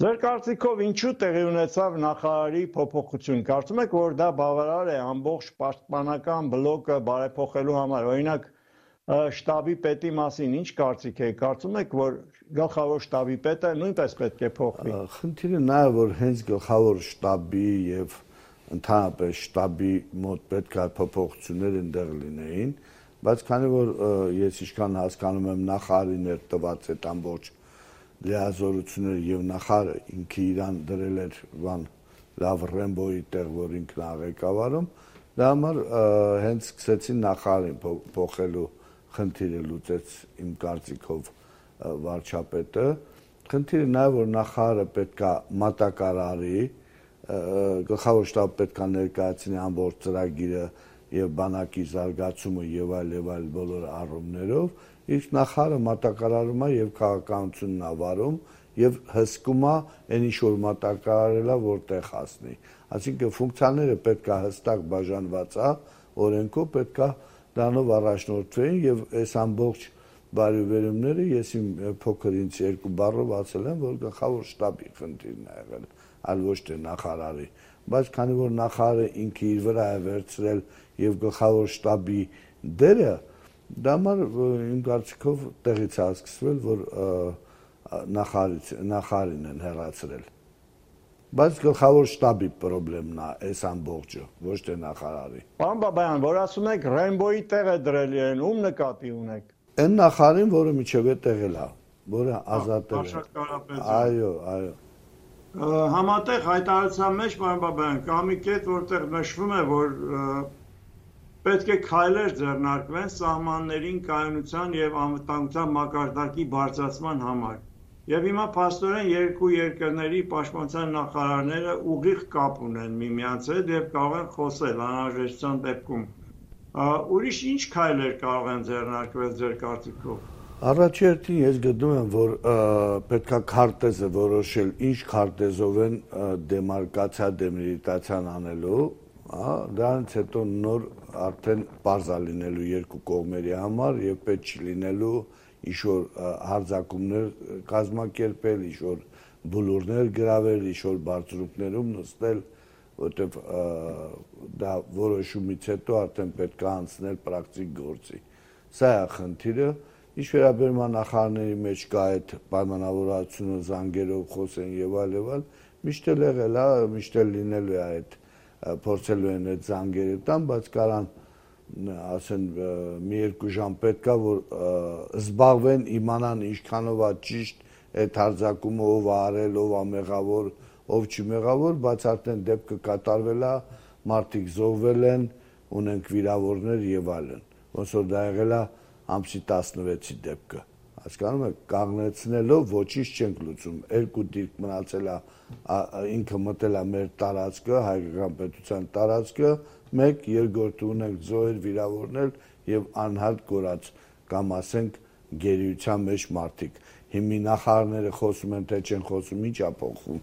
Ձեր կարծիքով ինչու տեղի ունեցավ նախարարի փոփոխություն։ Կարծում եք, որ դա բավարար է ամբողջ պաշտպանական բլոկը բարեփոխելու համար։ Օրինակ, շտաբի պետի մասին ինչ կարծիք եք։ Կարծում եք, որ գլխավոր շտաբի պետը նույնպես պետք է փոխվի։ Խնդիրը նա է, որ հենց գլխավոր շտաբի եւ ընդհանրապես շտաբի մոտ պետք է փոփոխություններ ընդեղ լինեին, բայց քանի որ ես ինչքան հասկանում եմ նախարարին էր տված այդ ամբողջ լիազորությունները եւ նախարարը ինքը իրան դրել էր բան լավ Ռեմբոյի տեղ, որ ինքն է ղեկավարում, դա համար հենց սկսեցին նախարարին փոխելու խնդիրը լուծեց իմ կարծիքով վարչապետը։ Խնդիրը նա է, որ նախարարը պետքա մատակարարի, գլխավոր շտաբը պետքա ներկայացնի ամբողջ ծրագիրը եւ բանակի զարգացումը եւ այլ բոլոր առումներով, իսկ նախարարը մատակարարում է եւ քաղաքականությունն է վարում եւ հսկում է այն ինչ որ մատակարարելա որտեղ հասնի։ Այսինքն ֆունկցիաները պետքա հստակ բաժանված է, օրենքով պետքա դրանով առաջնորդվեին եւ այս ամբողջ բարեվերումները ես իմ փոքր ինձ երկու բառով ասել եմ, որ գլխավոր շտաբի խնդիրն է եղել, այլ ոչ թե նախարարի, բայց քանի որ նախարարը ինքը իր վրա է վերցրել եւ գլխավոր շտաբի դերը, դա համար իմ կարծիքով տեղից է սկսվել, որ նախարարին են հեռացրել։ Բայց գլխավոր շտաբի խնդիրն է այս ամբողջը, ոչ թե նախարարի։ Պարոն Բաբայան, որ ասում եք Ռեմբոյի տեղը դրել են, ում նկատի ունեք։ Այն նախարարին, որը միջև է տեղել է, որը ազատել է։ Այո։ Համատեղ հայտարարության մեջ, պարոն Բաբայան, կա մի կետ, որտեղ նշվում է, որ պետք է քայլեր ձեռնարկվեն սահմաններին կայունության եւ անվտանգության մակարդակի բարձրացման համար։ Եվ հիմա փաստորեն երկու երկրների պաշտպանության նախարարները ուղիղ կապ ունեն միմյանց հետ եւ կարող են խոսել անհրաժեշտության դեպքում։ Ուրիշ ինչ քայլեր կարող են ձեռնարկվել ձեր կարծիքով։ Առաջերտին ես գտնում եմ, որ պետքա քարտեզը որոշել, ինչ քարտեզով են դեմարկացիա, դեմիլիտացիան անելու, դրանից հետո նոր արդեն պարզ է լինելու երկու կողմերի համար եւ պետք չի լինելու ինչ-որ հարձակումներ կազմակերպել, ինչ-որ բլուրներ գրավել, ինչ-որ բարձրուկներում նստել, որտեվ դա որոշումից հետո արդեն պետք է անցնել պրակտիկ գործի։ Սա է խնդիրը, ինչ վերաբերում է նախարարների մեջ կա այդ պայմանավորվածությունը զանգերով խոսեն եւ այլ, միշտ էլ եղել է, միշտ էլ լինելու է այդ փորձելու են այդ զանգերը տան, բայց կարան ասեն մի երկու ժամ պետքա որ զբաղվեն իմանան ինչքանով է ճիշտ այդ հարձակումը ով է արել, ով է մեղավոր, ով չի մեղավոր, բայց արդեն դեպքը կատարվել է, մարդիկ զոհվել են, ունենք վիրավորներ եւ այլն։ Ոնց որ դա եղել է ամսի 16-ի դեպքը։ Հասկանում եք, կանգնեցնելով ոչինչ չենք լուծում։ Երկու դիրք մնացել է, ինքը մտել է մեր տարածքը, հայկական պետության տարածքը, մեկ երկրորդը ունենք զոհեր, վիրավորներ եւ անհատ կորած կամ ասենք գերիության մեջ մարդիկ։ Հիմի նախարարները խոսում են, թե չեն խոսում, ինչ է փոխվում։